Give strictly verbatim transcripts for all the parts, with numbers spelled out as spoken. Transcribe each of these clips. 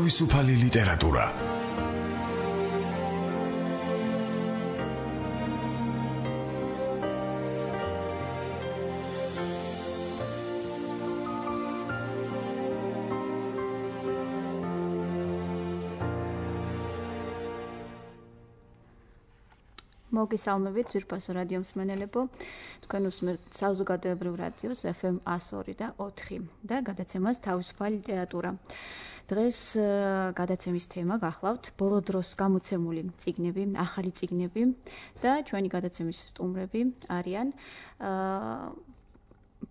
თავისუფალი ლიტერატურა. მოგესალმებით ძვირფასო რადიო მსმენელებო, თქვენ უსმენთ საზოგადოებრივ რადიოს ეფ ემ ათას ორი და ოთხი და გადაცემას თავისუფალი ლიტერატურა. დღეს გადაცემის თემა გახლავთ ბოლო დროს გამოცემული წიგნები, ახალი წიგნები და ჩვენი გადაცემის სტუმრები არიან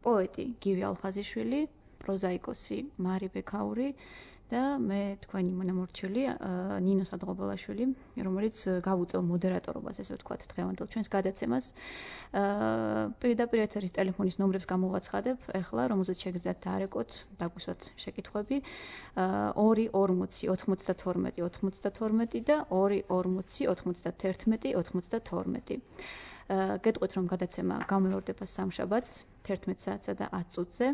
პოეტი გივი ალხაზიშვილი, პროზაიკოსი მარი ბექაური და მე თქვენი მონამორჩილი ნინო სადღობელაშვილი, რომელიც გავუწევ მოდერატორობას, ესე ვთქვათ, დღევანდელ ჩვენს გადაცემას. პირდაპირ ეთერის ტელეფონის ნომრებს გამოვაცხადებ, ეხლა, რომელზეც შეგიძლიათ დაარეკოთ, დაგვისვათ შეკითხვები. ორი ორმოცი ოთხმოცდათორმეტი ოთხმოცდათორმეტი და ორი ორმოცი ოცდაათერთმეტი ოცდაათორმეტი. გეტყვით, რომ გადაცემა გამეორდება სამშაბათს თერთმეტ საათსა და ათ წუთზე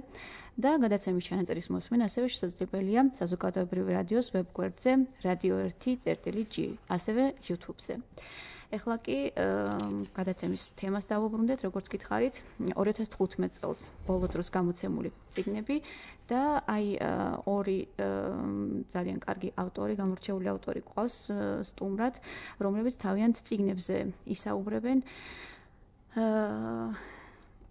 და გადაცემის ჩანაწერის მოსმენა ასევე შესაძლებელია საზოგადოებრივი რადიოს ვებგვერდზე რადიო ერთი წერტილი ჯი, ასევე YouTube-ზე. ეხლა კი გადაცემის თემას დავუბრუნდეთ, როგორც გითხარით, ორი ათას თხუთმეტ წელს ბოლო დროს გამოცემული წიგნები და აი ორი ძალიან კარგი ავტორი, გამორჩეული ავტორი გვყავს სტუმრად, რომლებიც თავიანთ წიგნებზე ისაუბრებენ.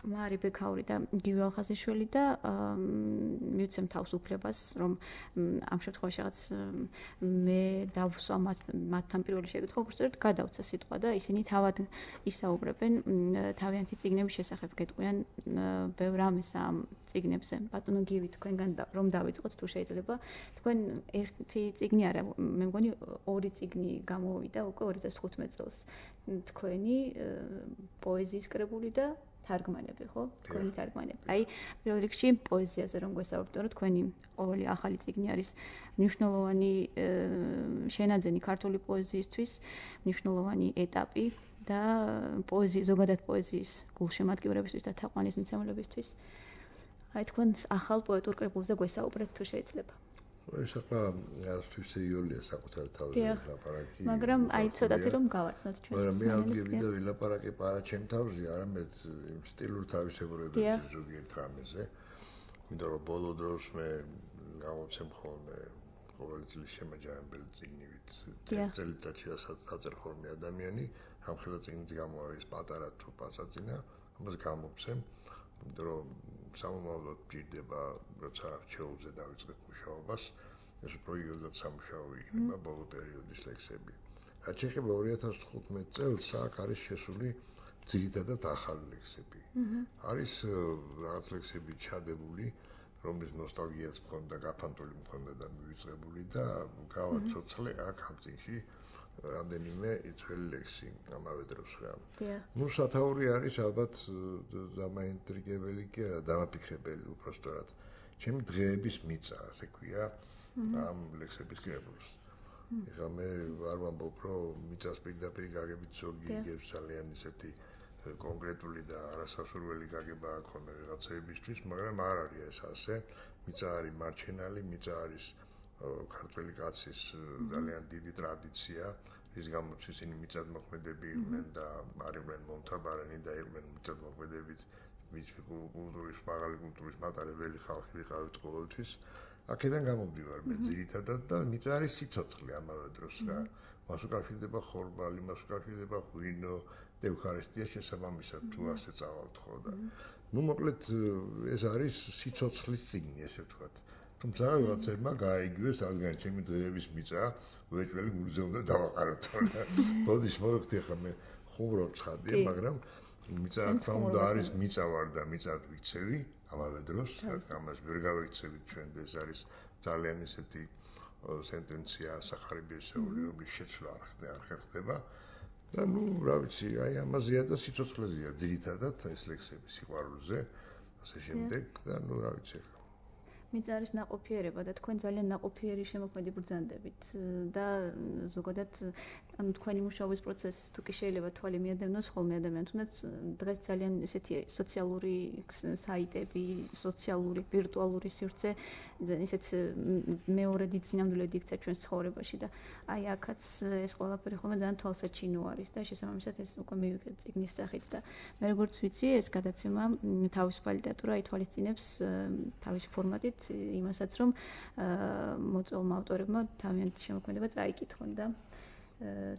მარი ბექაური და გივი ალხაზიშვილი და მივცემ თავს უფლებას, რომ ამ შემთხვევაში რაღაც მე დავსვა მათთან პირველი შეკითხვა, უბრალოდ გადავცა სიტყვა და ისინი თავად ისაუბრებენ თავიანთი წიგნების შესახებ, გეტყვიან ბევრ რამეს ამ წიგნებზე. ბატონო გივი, თქვენგან რომ დავიწყოთ, თუ შეიძლება, თქვენ ერთი წიგნი არა, მე მგონი ორი წიგნი გამოვიდა უკვე ორი ათას თხუთმეტ წელს. თქვენი პოეზიის კრებული და თარგმანები, ხო? თქვენი თარგმანები. აი, პირველ რიგში პოეზიაზე რომ გვესაუბროთ, რომ თქვენი ყოველი ახალი წიგნი არის მნიშვნელოვანი შენაძენი ქართული პოეზიისთვის, მნიშვნელოვანი ეტაპი და პოეზიის, ზოგადად პოეზიის გულშემატკივრებისთვის და თაყვანისმცემლებისთვის. აი, თქვენ ახალ პოეტურ კრებულზე გვესაუბრეთ, თუ შეიძლება. ეს ახლა არასთვის სერიოზულია საკუთარ თავზე ლაპარაკი. მაგრამ აი ცოტათი რომ გავაცნოთ ჩვენს მაგრამ მე ავგებდა ვილაპარაკე არა ჩემ თავზე, არამედ იმ სტილურ თავისებურებებზე ზოგიერთ რამეზე. იმიტომ რომ ბოლო დროს მე გამოცემ ხოლმე ყოველი წლის შემაჯამებელი წიგნივით წელიწადში რასაც დაწერს ხოლმე ადამიანი, ამ ხელაწიგნით გამოავის პატარა თუ პასაწინა, ამას გამოცემ. იმიტომ რომ სამომავლოდ ჭირდება, როცა არჩეულზე დავიწყებ მუშაობას, ეს უფრო იოლად სამუშაო იქნება ბოლო პერიოდის ლექსები. რაც შეეხება ორი ათას თხუთმეტ წელს, აქ არის შესული ძირითადად ახალი ლექსები. არის რაღაც ლექსები ჩადებული, რომლის ნოსტალგიაც მქონდა, გაფანტული მქონდა და მივიწყებული და გავაცოცხლე აქ ამ წიგნში რამდენიმე ძველი ლექსი ამავე დროს რა. ნუ სათაური არის ალბათ დამაინტრიგებელი კი არა, დამაფიქრებელი უბრალოდ. ჩემი დღეების მიწა, ასე ქვია, ამ ლექსების კრებულს. ეხლა მე არ ვამბობ, რომ მიწას პირდაპირ გაგებით ზოგი იგებს ძალიან ისეთი კონკრეტული და არასასურველი გაგება აქვს ხოლმე რაღაცეებისთვის, მაგრამ არ არის ეს ასე. მიწა არის მარჩენალი, მიწა არის ქართველი კაცის ძალიან დიდი ტრადიცია, რის გამოც ისინი მიწათმოქმედები იყვნენ და არიყვნენ მომთაბარენი და იყვნენ მიწათმოქმედებით კულტურის, მაღალი კულტურის მატარებელი ხალხი ვიყავით ყოველთვის. აქედან გამომდივარ მე ძირითადად და მიწა არის სიცოცხლე ამავე დროს რა. მას უკავშირდება ხორბალი, მას უკავშირდება ღვინო და ევქარისტია შესაბამისად თუ ასე წავალთ ხო და. ნუ მოკლედ ეს არის სიცოცხლის წიგნი, ესე ვთქვათ. თუმცა რაღაცებმა გააიგივეს, რადგან ჩემი დღეების მიწა უეჭველი გულზე უნდა დავაყაროთ. ბოდის მოვიხდი ახლა მე ხუმრობ ცხადია, მაგრამ მიწა რა უნდა არის, მიწა ვარ და მიწად ვიცევი ამავე დროს, ამას ვერ გავეცევით ჩვენ და ეს არის ძალიან ისეთი სენტენცია სახარებიესეული, რომლის შეცვლა არ ხერხდება. და ნუ რა ვიცი, აი ამაზეა და სიცოცხლეზეა ძირითადად ეს ლექსები სიყვარულზე, ასე შემდეგ და ნუ რა ვიცი. მიწა არის ნაყოფიერება და თქვენ ძალიან ნაყოფიერი შემოქმედი ბრძანდებით და ზოგადად ანუ თქვენი მუშაობის პროცესი თუ კი შეიძლება თვალი მიადევნოს ხოლმე ადამიანს, თუნდაც დღეს ძალიან ესეთი სოციალური საიტები, სოციალური ვირტუალური სივრცე ისეთ მეორე დიდ სინამდვილედ იქცა ჩვენს ცხოვრებაში და აი აქაც ეს ყველაფერი ხოლმე ძალიან თვალსაჩინო არის და შესაბამისად ეს უკვე მივიღეთ წიგნის სახით და მე როგორც ვიცი ეს გადაცემა თავისუფალი ლიტერატურა ითვალისწინებს თავისი ფორმატით იმასაც რომ მოწვეულმა ავტორებმა თავიანთი შემოქმედება წაიკითხონ და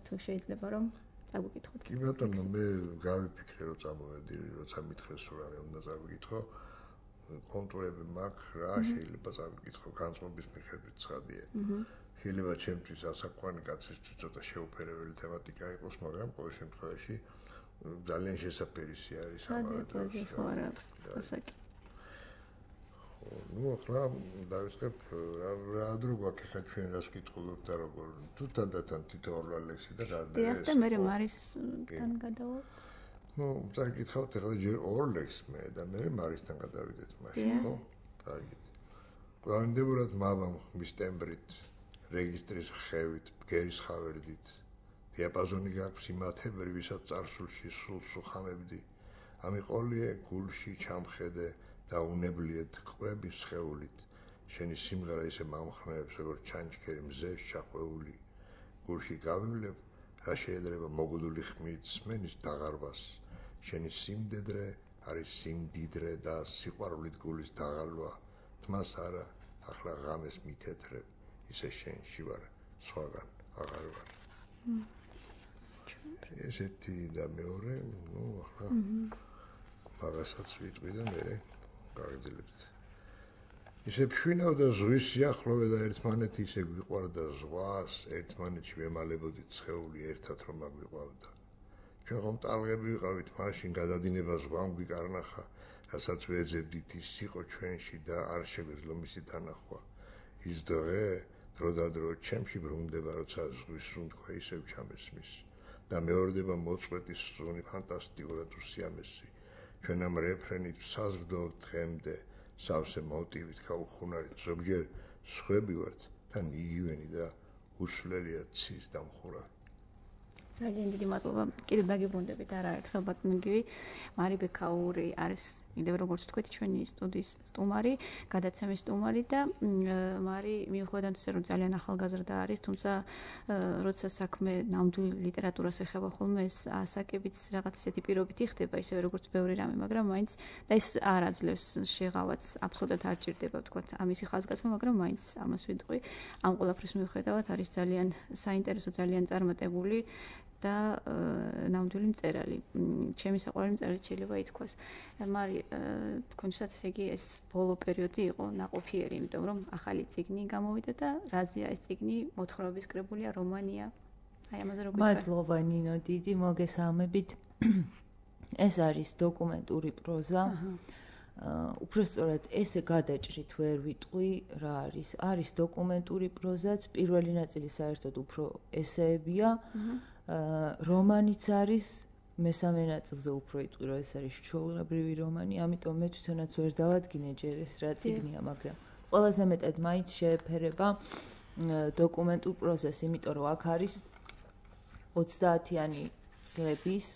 თუ შეიძლება რომ წაგვიკითხოთ. კი ბატონო, მე გავიფიქრე რომ წამოვედი, როცა მითხრეს რომ რამე უნდა წაგვიკითხო, კონტურები მაქვს, რა შეიძლება წაგვიკითხო, განწყობის მიხედვით ცხადია. შეიძლება ჩემთვის ასაკვანი კაცისთვის ცოტა შეუფერებელი თემატიკა იყოს, მაგრამ ყოველ შემთხვევაში ძალიან შესაძლებელია არის ამავე დროს. ასაკი. ну ახლა დავიწყებ რა დრო გვაქვს ხა ჩვენ რას ვკითხულობთ და როგორ თუ თანდათან თითოეულ ლექსი და რა და ეს და მე მარისთან გადავალ ну წაკითხავთ ახლა ჯერ ორ ლექსს მე და მე მარისთან გადავიდეთ მაშინ ხო კარგი გვანდებურად მაბამ ხმის ტემბრით რეგისტრის ხევით ბგერის ხავერდით დიაპაზონი გაქვს იმათებრი ვისაც წარსულში სულს უხამებდი ამიყოლიე გულში ჩამხედე და უნებლიეთ ყვების ხეულით შენი სიმღერა ისე მომხნევებს როგორც ჩანჩქერი მზეს ჩახვეული გულში გავივლებ რა შეიძლება მოგუდული ხმით სმენის დაღარვას შენი სიმდედრე არის სიმდიდრე და სიყვარულით გულის დაღალვა თმას არა ახლა ღამეს მითეთრებ ისე შენში ვარ სხვაგან აღარ ვარ ესეთი და მეორე ну ახლა მაგასაც ვიტყვი და მე გავიძლებთ. ისე ფშვინავდა ზღვის სიახლოვე და ერთმანეთი ისე გვიყვარდა ზღვას, ერთმანეთში ვემალებოდით ცხეული ერთად რომ აგვიყვავდა. ჩვენ ხომ ტალღები ვიყავით, მაშინ გადადინება ზღვამ გვიკარნახა, რასაც ვეძებდით ის იყო ჩვენში და არ შეგვეძლო მისი დანახვა. ის დღე დრო და დრო ჩემში ბრუნდება, როცა ზღვის სუნთქვა ისევ ჩამესმის და მეორდება მოწყვეტის სუნი ფანტასტიკურად უსიამესი. ჩვენ ამ რეფრენით საზრდოვთ დღემდე სავსე მოტივით გაუხუნარით ზოგჯერ სხვები ვართ და იგივენი და უსვლელია ცის დამხურა ძალიან დიდი მადლობა კიდევ დაგიბრუნდებით არაერთხელ ბატონო გივი მარი ბექაური არის კიდევ როგორც თქვით ჩვენი სტუდიის სტუმარი გადაცემის სტუმარი და მარი მიუხედავად იმისა რომ ძალიან ახალგაზრდა არის თუმცა როცა საქმე ნამდვილ ლიტერატურას ეხება ხოლმე ეს ასაკებიც რაღაც ისეთი პირობით იხდება ისევე როგორც ბევრი რამე მაგრამ მაინც და ეს არ აძლევს შეღავაც აბსოლუტურად არ ჭირდება ვთქვათ ამისი ხაზგასმა მაგრამ მაინც ამას ვიტყვი ამ ყველაფრის მიუხედავად არის ძალიან საინტერესო ძალიან წარმატებული და ნამდვილი მწერალი. ჩემი საყვარელი მწერალი შეიძლება ითქვას. მარი თქვენთვისაც ესე იგი ეს ბოლო პერიოდი იყო ნაყოფიერი, იმიტომ რომ ახალი წიგნი გამოვიდა და რაზეა ეს წიგნი მოთხრობის კრებულია, რომანია. აი ამაზე როგორ ვიქნა? მადლობა ნინო, დიდი მოგესალმებით. ეს არის დოკუმენტური პროზა. უпростоრად ესე გადაჭრით ვერ ვიტყვი რა არის. არის დოკუმენტური პროზაც, პირველი ნაწილი საერთოდ უფრო ესეებია. რომანიც არის მესამე ნაწილზე უფრო იტყვი რომ ეს არის ჩვეულებრივი რომანი, ამიტომ მე თვითონაც ვერ დავადგინე ჯერ ეს რა წიგნია, მაგრამ ყველაზე მეტად მაინც შეეფერება დოკუმენტურ პროზას, იმიტომ რომ აქ არის ოცდაათიანი წლების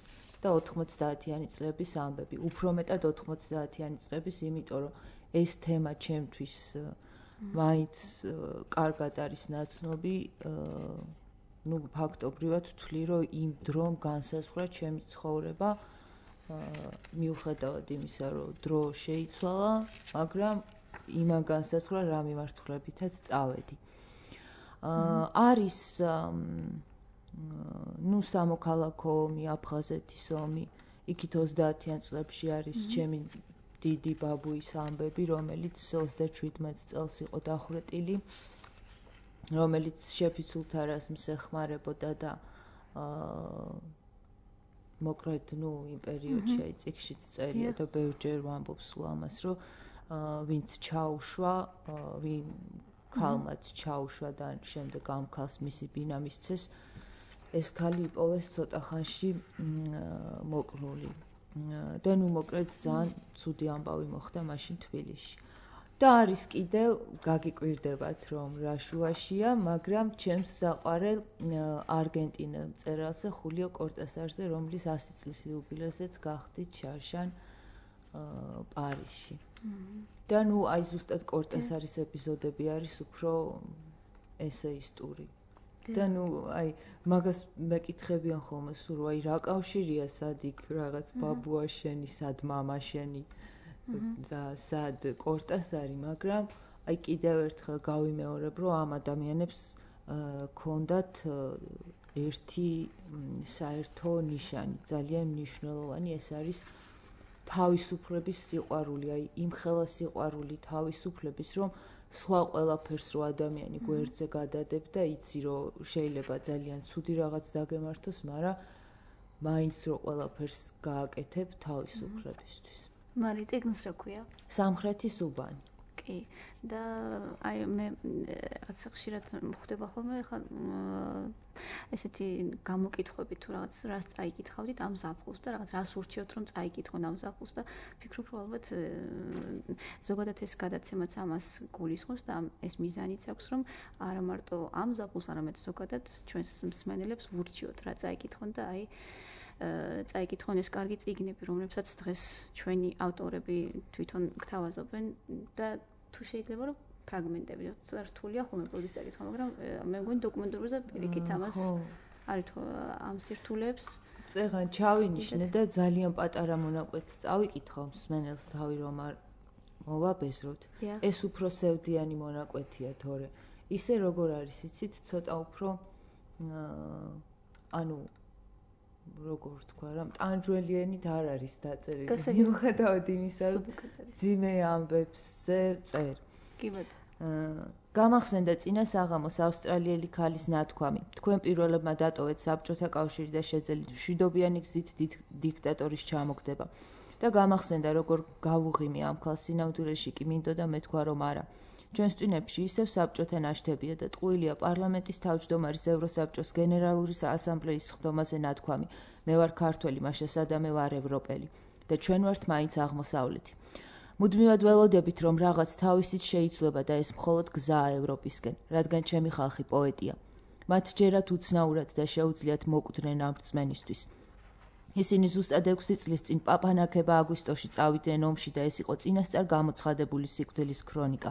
და ოთხმოცდაათიანი წლების ამბები, უფრო მეტად ოთხმოცდაათიანი წლების, იმიტომ რომ ეს თემა ჩემთვის მაინც კარგად არის ნაცნობი ну ფაქტობრივად ვთვლი რომ იმ დრომ განსაზღვრა ჩემი ცხოვრება მიუხედავად იმისა რომ დრო შეიცვალა მაგრამ იმან განსაზღვრა რა მიმართულებითაც წავედი არის ну სამოქალაქო ომი აფხაზეთის ომი იქით ოცდაათიან წლებში არის ჩემი დიდი ბაბუის ამბები რომელიც ოცდაჩვიდმეტ წელს იყო დახვრეტილი რომელიც შეფიცულთარას მსეხმარებოდა და მოკლედ ნუ იმ პერიოდში აი წიგნშიც წერია და ბევრჯერ ვამბობ სულ ამას რომ ვინც ჩაუშვა ვინ ქალმაც ჩაუშვა და შემდეგ ამ ქალს მისი ბინა მისცეს ეს ქალი იპოვეს ცოტა ხანში მოკრული და ნუ მოკლედ ძალიან ცუდი ამბავი მოხდა მაშინ თბილისში და არის კიდევ გაგიკვირდებათ რომ რა შუაშია, მაგრამ ჩემს საყვარელ არგენტინელ მწერალზე ხულიო კორტასარზე, რომლის ასი წლის იუბილეზეც გახდით შარშან პარიზში. და ნუ აი ზუსტად კორტასარის ეპიზოდები არის უფრო ესეისტური. და ნუ აი მაგას მეკითხებიან ხოლმე სულ აი რა კავშირია სად იქ რაღაც ბაბუა შენი, სად მამა შენი და სად კორტასარი, მაგრამ აი კიდევ ერთხელ გავიმეორებ, რომ ამ ადამიანებს ქონდათ ერთი საერთო ნიშანი, ძალიან მნიშვნელოვანი, ეს არის თავისუფლების სიყვარული, აი იმხელა სიყვარული თავისუფლების, რომ სხვა ყველაფერს რო ადამიანი გვერდზე გადადებ და იცი, რომ შეიძლება ძალიან ცუდი რაღაც დაგემართოს, მაგრამ მაინც რო ყველაფერს გააკეთებ თავისუფლებისთვის. მარი წიგნს რა ქვია? სამხრეთის უბანი. კი. და აი მე რაღაც ხშირად ხდება ხოლმე ხა ესეთი გამოკითხვები თუ რაღაც რას წაიკითხავდით ამ ზაფხულს და რაღაც რას ურჩიოთ რომ წაიკითხონ ამ ზაფხულს და ფიქრობ რომ ალბათ ზოგადად ეს გადაცემაც ამას გულისხმობს და ეს მიზანიც აქვს რომ არა მარტო ამ ზაფხულს, არამედ ზოგადად ჩვენს მსმენელებს ურჩიოთ რა წაიკითხონ და აი წაიკითხონ ეს კარგი წიგნები, რომლებსაც დღეს ჩვენი ავტორები თვითონ გთავაზობენ და თუ შეიძლება რომ ფრაგმენტები, ცოტა რთულია ხოლმე პროზის წაკითხვა, მაგრამ მე მგონი დოკუმენტურზე პირიქით ამას არის თუ ამ სირთულეებს წეღან ჩავინიშნე და ძალიან პატარა მონაკვეთს წავიკითხავ მსმენელს თავი რომ არ მოვაბეზროთ. ეს უფრო სევდიანი მონაკვეთია, თორე ისე როგორ არის, იცით, ცოტა უფრო ანუ როგორ თქვა რა, ტანჯველიანით არ არის დაწერილი. მიუხედავად იმისა, რომ ძიმე ამბებზე წერ. კი ბატონო. გამახსენდა წინა საღამოს ავსტრალიელი ქალის ნათქვამი. თქვენ პირველებმა დატოვეთ საბჭოთა კავშირი და შეძელით მშვიდობიანი გზით დიქტატორის ჩამოგდება. და გამახსენდა როგორ გავუღიმე ამ ქალს სინამდვილეში კი მინდოდა მეთქვა რომ არა. ჩვენს ტვინებში ისევ საბჭოთა ნაშთებია და ტყუილია პარლამენტის თავმჯდომარის ევროსაბჭოს გენერალური ასამბლეის სხდომაზე ნათქვამი. მე ვარ ქართველი, მაშა სადამე ვარ ევროპელი და ჩვენ ვართ მაინც აღმოსავლეთი. მუდმივად ველოდებით რომ რაღაც თავისით შეიცვლება და ეს მხოლოდ გზაა ევროპისკენ, რადგან ჩემი ხალხი პოეტია. მათ ჯერათ უცნაურად და შეუძლიათ მოკვდნენ ამ რწმენისთვის. ისინი ზუსტად ექვსი წლის წინ პაპანაკება აგვისტოში წავიდნენ ომში და ეს იყო წინასწარ გამოცხადებული სიკვდილის ქრონიკა.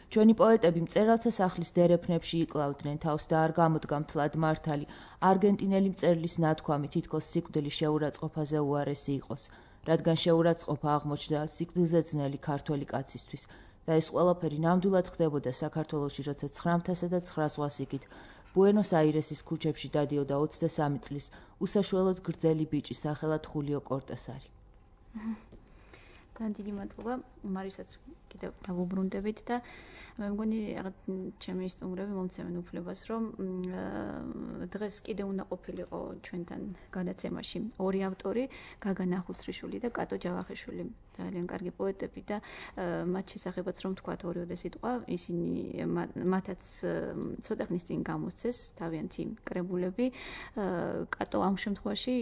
ჩვენი პოეტები მწერალთა სახლის დერეფნებში იკლავდნენ თავს და არ გამოდგა მთლად მართალი არგენტინელი მწერლის ნათქვამი თითქოს სიკვდილის შეურაცხყოფაზე უარესი იყოს, რადგან შეურაცხყოფა აღმოჩნდა სიკვდილზე ძნელი ქართველი კაცისთვის და ეს ყველაფერი ნამდვილად ხდებოდა საქართველოში, როცა ცხრამთასა და ცხრა ზღვას იქით ბუენოს-აირესის ქუჩებში დადიოდა ოცდასამი წლის უსაშველოდ გრძელი ბიჭი სახელად ხულიო კორტასარი. დიდი მადლობა მარისაც კიდევ დავუბრუნდებით და მე მგონი რაღაც ჩემი სტუმრები მომცემენ უფლებას რომ დღეს კიდევ უნდა ყოფილიყო ჩვენთან გადაცემაში ორი ავტორი, გაგა ნახუცრიშვილი და კატო ჯავახიშვილი. ძალიან კარგი პოეტები და მათ შესახებაც რომ თქვათ ორიოდე სიტყვა, ისინი მათაც ცოტა ხნის წინ გამოსცეს თავიანთი კრებულები. კატო ამ შემთხვევაში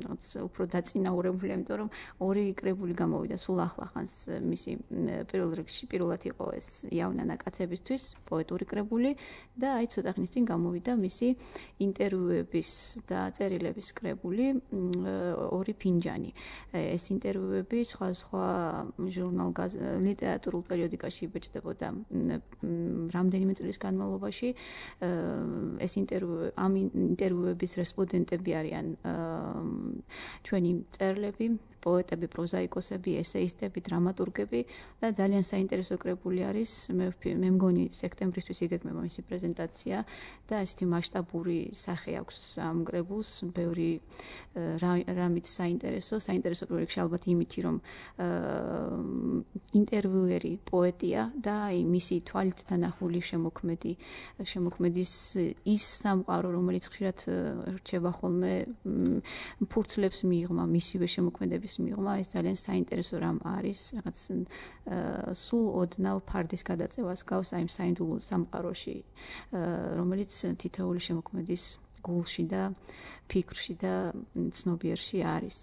რაღაც უფრო დაწინაურებულია, იმიტომ რომ ორი კრებული გამოვიდა სულ ახლა ხანს მისი პირველ რიგში პირველად იყო ეს იავნა ნაკაცებისთვის პოეტური კრებული და აი ცოტა ხნის წინ გამოვიდა მისი ინტერვიუების და წერილების კრებული ორი ფინჯანი. ეს ინტერვიუები სხვა სხვა ჟურნალ ლიტერატურულ პერიოდიკაში იბეჭდებოდა რამდენიმე წლის განმავლობაში. ეს ინტერვიუ ამ ინტერვიუების რესპონდენტები არიან ჩვენი მწერლები, პოეტები, პროზაიკოსები, ესეისტები, დრამატურგები და ძალიან საინტერესო კრებული არის. მე მე მგონი სექტემბრისთვის იგეგმება მისი პრეზენტაცია და ესეთი მასშტაბური სახე აქვს ამ კრებულს, ბევრი რამით საინტერესო, საინტერესო პროექტი ალბათ იმითი რომ ინტერვიუერი პოეტია და აი მისი თვალით დანახული შემოქმედი შემოქმედის ის სამყარო, რომელიც ხშირად რჩება ხოლმე ფურცლებს მიიღმა, მისივე შემოქმედების მიიღმა, ეს ძალიან საინტერესო რამ არის, რაღაც სულ ოდნავ ფარდის გადაწევას გავს აი საინდულო სამყაროში, რომელიც თითოეული შემოქმედის გულში და ფიქრში და ცნობიერში არის.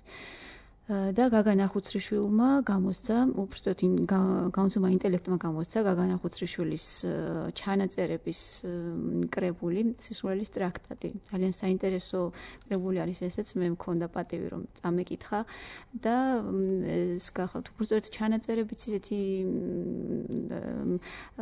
და გაგანა ხუცრიშვილმა გამოსცა, უბრალოდ გამოცემა ინტელექტმა გამოსცა გაგანა ხუცრიშვილის ჩანაწერების კრებული სისხლის ტრაქტატი. ძალიან საინტერესო კრებული არის ესეც, მე მქონდა პატივი რომ წამეკითხა და ეს გახავთ უბრალოდ ჩანაწერებიც ისეთი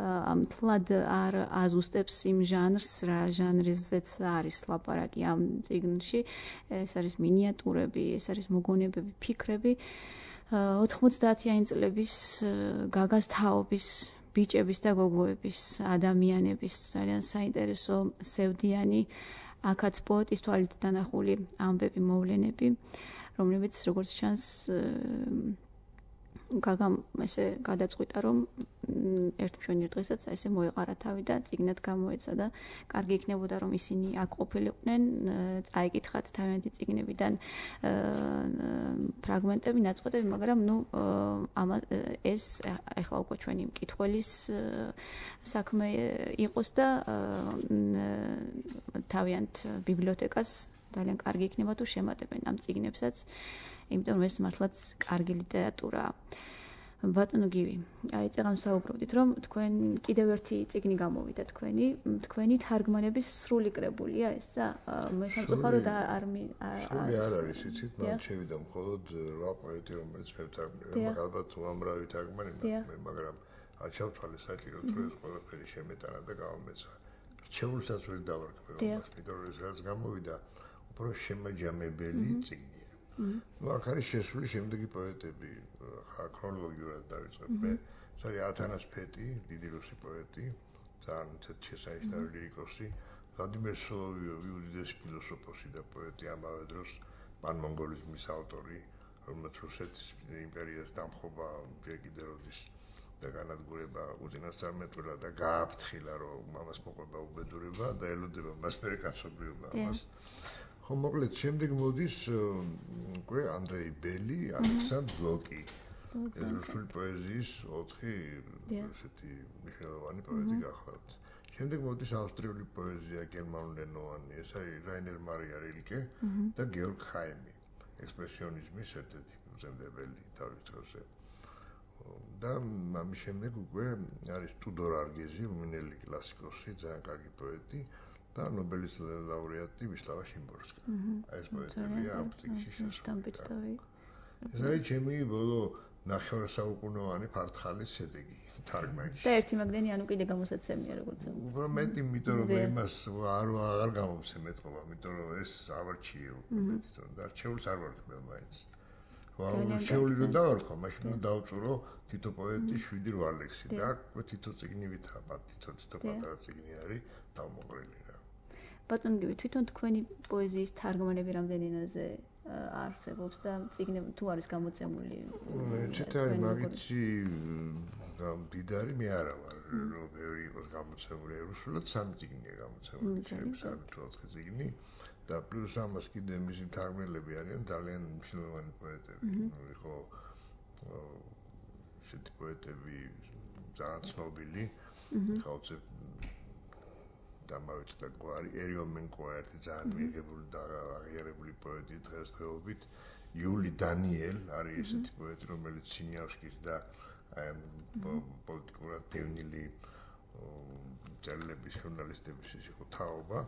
ამთლად არ აზუსტებს იმ ჟანრს, რა ჟანრზეც არის ლაპარაკი ამ წიგნში. ეს არის მინიატურები, ეს არის მოგონებები, ფიქრები. ოთხმოცდაათიანი წლების გაგას თაობის, ბიჭების და გოგოების, ადამიანების ძალიან საინტერესო სევდიანი, აქაც პოეტის თვალით დანახული ამბები, მოვლენები, რომლებიც როგორც ჩანს გაგამ ესე გადაწყვიტა რომ ერთ მშვენიერ დღესაც ესე მოეყარა თავი და წიგნად გამოეცა და კარგი იქნებოდა რომ ისინი აქ ყოფილიყვნენ, წაიკითხათ თავიანთი წიგნებიდან ფრაგმენტები, ნაწყვეტები, მაგრამ ნუ ეს ახლა უკვე ჩვენი მკითხველის საქმე იყოს და თავიანთ ბიბლიოთეკას ძალიან კარგი იქნება თუ შემატებენ ამ წიგნებსაც. იმიტომ რომ ეს მართლაც კარგი ლიტერატურაა. ბატონო გივი, აი წეგან საუბრობდით რომ თქვენ კიდევ ერთი წიგნი გამოვიდა თქვენი, თქვენი თარგმანების სრული კრებულია ესა? მე სამწუხაროდ არ სრული არ არის, იცით, მან შევიდა მხოლოდ რვა პოეტი რომელიც მე ვთარგმნე, ალბათ უამრავი თარგმანი მე, მაგრამ აჩავთვალე საჭიროდ რომ ეს ყველაფერი შემეტანა და გავამეცა. რჩეულსაც ვერ დავარქმევ მას, იმიტომ რომ ეს რაც გამოვიდა, უბრალოდ შემაჯამებელი წიგნი. ну აქ არის შესული შემდეგი პოეტები, ქრონოლოგიურად დავიწყებ მე. ეს არის ათანას ფეტი, დიდი რუსი პოეტი, ძალიან შესანიშნავი ლირიკოსი, ვლადიმერ სოლოვიოვი, უდიდესი ფილოსოფოსი და პოეტი, ამავე დროს პანმონგოლიზმის ავტორი, რომელიც რუსეთის იმპერიას დამხობა ჯერ კიდევ როდის და განადგურება უწინასწარმეტყველა და გააფრთხილა რომ მამას მოყვება უბედურება და ელოდება მას მერე კაცობრიობა ამას. ხო მოკლედ შემდეგ მოდის უკვე ანდრეი ბელი, ალექსანდრ ბლოკი. ეს რუსული პოეზიის ოთხი ესეთი მნიშვნელოვანი პოეტი გახლავთ. შემდეგ მოდის ავსტრიული პოეზია, გერმანულენოვანი, ეს არის რაინერ მარია რილკე და გეორგ ხაიმი, ექსპრესიონიზმის ერთ-ერთი ფუძემდებელი თავის დროზე. და ამის შემდეგ უკვე არის ტუდორ არგეზი, რუმინელი კლასიკოსი, ძალიან კარგი პოეტი. და ნობელის ლაურეატი ვისლავა შიმბორსკა. ეს პოეტებია ამ წიგნში შესული. ეს არის ჩემი ბოლო ნახევარსაუკუნოვანი ფარტხალის შედეგი თარგმანში. და ერთი მაგდენი ანუ კიდე გამოსაცემია როგორც ამ. უფრო მეტი, იმიტომ რომ იმას არ აღარ გამოვცემ ეთქობა, იმიტომ რომ ეს ავარჩიე უკვე მეტი და რჩეულს არ ვარქმევ მაინც. რჩეული რომ დავარქვა, მაშინ უნდა დავწურო თითო პოეტის შვიდი რვა ლექსი და აქ თითო წიგნი ვითაბა, თითო თითო პატარა წიგნი არის დავმოყრილი. ბატონო გივი, თვითონ თქვენი პოეზიის თარგმანები რამდენი ენაზე არსებობს და წიგნები თუ არის გამოცემული? ეცეთ არის მაგითი დიდარი მე არა ვარ, რომ ბევრი იყოს გამოცემული რუსულად, სამი წიგნია გამოცემული, სამი თუ ოთხი წიგნი და პლუს ამას კიდე მისი თარგმნელები არიან ძალიან მნიშვნელოვანი პოეტები. ხო ესეთი პოეტები ძალიან ცნობილი, ხალხზე დამავიწყდა გვარი ერიომენკო ერთი ძალიან მიიღებული და აღიარებული პოეტი დღესდღეობით იული დანიელ არის ესეთი პოეტი რომელიც სინიავსკის და პოლიტიკურად დევნილი წერილების ჟურნალისტების ის იყო თაობა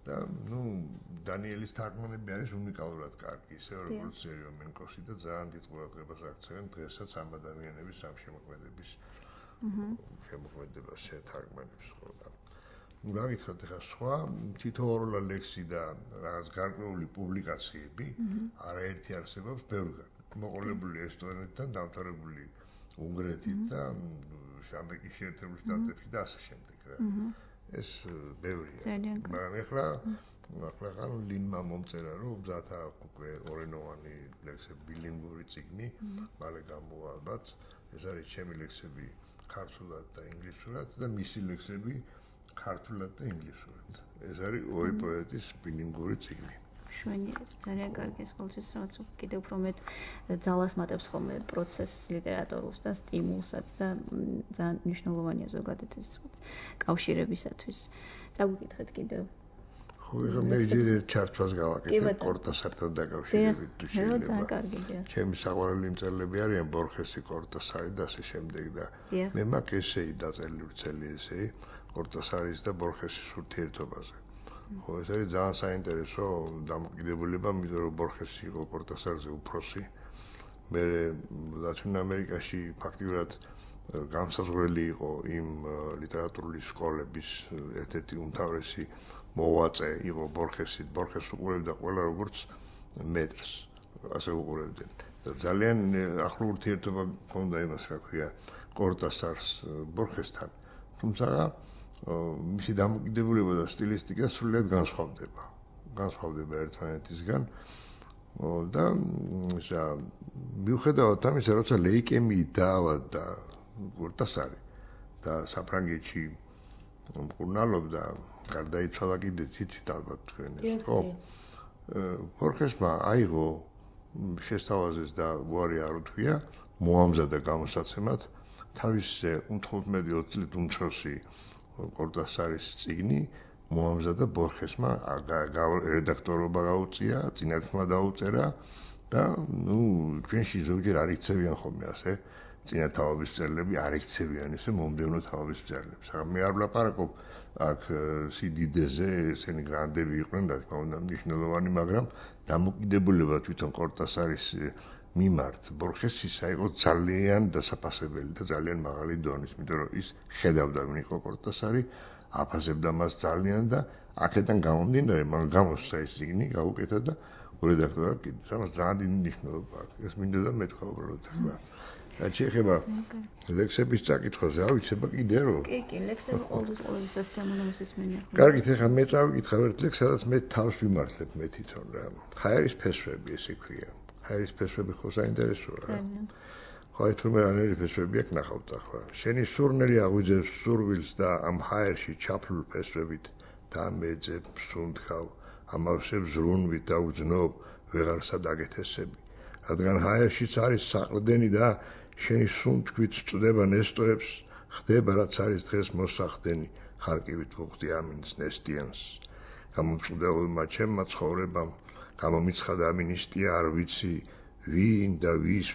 და ნუ დანიელის თარგმანები არის უნიკალურად კარგი ისე როგორც ერიომენკოსი და ძალიან დიდ ყურადღებას აქცევენ დღესაც ამ ადამიანების ამ შემოქმედების შემოქმედებას შეთარგმანებს ხო და რა გითხრათ ახლა სხვა თითოეულ ლექსი და რაღაც გარკვეული პუბლიკაციები არაერთი არსებობს ბევრგან მოყოლებული ესტონეთთან დამთავრებული უნგრეთით და ამერიკის შეერთებულ შტატებში და ასე შემდეგ რა ეს ბევრია მაგრამ ახლა ახლა ლინმა მომწერა რომ მზათა უკვე ორენოვანი ლექსები ბილინგური წიგნი მალე გამოვა ალბათ ეს არის ჩემი ლექსები ქართულად და ინგლისურად და მისი ლექსები ქართულად და ინგლისურად. ეს არის ორი პოეტის ბილინგური წიგნი. შვენიერი, ძალიან კარგი ეს ყოველთვის რაღაც კიდევ უფრო მეტ ძალას მატებს ხოლმე პროცესს ლიტერატურულს და სტიმულსაც და ძალიან მნიშვნელოვანია ზოგადად ეს კავშირებისათვის. წაგვიკითხეთ კიდევ. ხო, ხო, მე ჯერ ჩართვას გავაკეთე კორტასართან დაკავშირებით თუ შეიძლება. ჩემი საყვარელი მწერლები არიან ბორხესი, კორტასარი და ასე შემდეგ და მე მაქვს ესეი დაწერილი ვრცელი ესეი კორტასარის და ბორხესის ურთიერთობაზე. ხო, ეს არის ძალიან საინტერესო დამოკიდებულება, იმიტომ რომ ბორხესი იყო კორტასარზე უფროსი. მე ლათინ ამერიკაში ფაქტიურად განსაზღვრელი იყო იმ ლიტერატურული სკოლების ერთ-ერთი უმთავრესი მოვაწე იყო ბორხესი. ბორხეს უყურებდა ყველა როგორც მეტრს, ასე უყურებდნენ. ძალიან ახლო ურთიერთობა ჰქონდა იმას, რა ქვია, კორტასარს ბორხესთან. თუმცა მისი დამოკიდებულება და სტილისტიკა სრულიად განსხვავდება. განსხვავდება ერთმანეთისგან. და მიუხედავად ამისა, როცა ლეიკემიით დაავადდა კორტასარი და საფრანგეთში მკურნალობდა, გარდაიცვალა კიდე ციცით ალბათ თქვენ ეს, ხო? ბორხესმა აიღო შესთავაზეს და უარი არ უთქვია, მოამზადა გამოსაცემად თავის თხუთმეტი ოცი წლით უმცროსი კორტასარის წიგნი მოამზადა ბორხესმა, რედაქტორობა გაუწია, წინათმა დაუწერა და ნუ ჩვენში ზოგჯერ არ იქცევიან ხოლმე ასე წინათაობის მწერლები არ იქცევიან ესე მომდევნო თაობის მწერლებს. მაგრამ მე არ ვლაპარაკობ აქ სიდიდეზე, ესენი გრანდები იყვნენ, რა თქმა უნდა, მნიშვნელოვანი, მაგრამ დამოკიდებულება თვითონ კორტასარის მიმართ ბორხესისა იყო ძალიან დასაფასებელი და ძალიან მაღალი დონის, იმიტომ რომ ის ხედავდა ვინ იყო კორტასარი, აფასებდა მას ძალიან და აქედან გამომდინარე, მან გამოსცა ეს წიგნი, გაუკეთა და რედაქტორად კიდე სამას ძალიან დიდი მნიშვნელობა აქვს. ეს მინდა და მეთქვა უბრალოდ ახლა. და შეიძლება ლექსების წაკითხვაზე ავიცება კიდე რომ კი, კი, ლექსები ყოველთვის ყველაზე სასიამოვნო მენია. კარგით, ახლა მე წავიკითხავ ერთ ლექსს, სადაც მე თავს ვიმართლებ მე თვითონ რა. ჰაერის ფესვები ესე ქვია. ჰაერის ფესვები ხო საინტერესოა რა. ხო, აი თურმე რანერი ფესვები აქვს ნახავთ ახლა. შენი სურნელი აღვიძებს სურვილს და ამ ჰაერში ჩაფლულ ფესვებით დამეძებ სუნთქავ, ამავსებ ზრუნვით და უძნობ ვეღარსა დაგეთესები. რადგან ჰაერშიც არის საყრდენი და შენი სუნთქვით წდება ნესტოებს, ხდება რაც არის დღეს მოსახდენი, ხარკივით ვუხდი ამინს ნესტიანს. გამომწყვდეულმა ჩემმა ცხოვრებამ, გამომიცხადა ამინისტია არ ვიცი, ვინ და ვის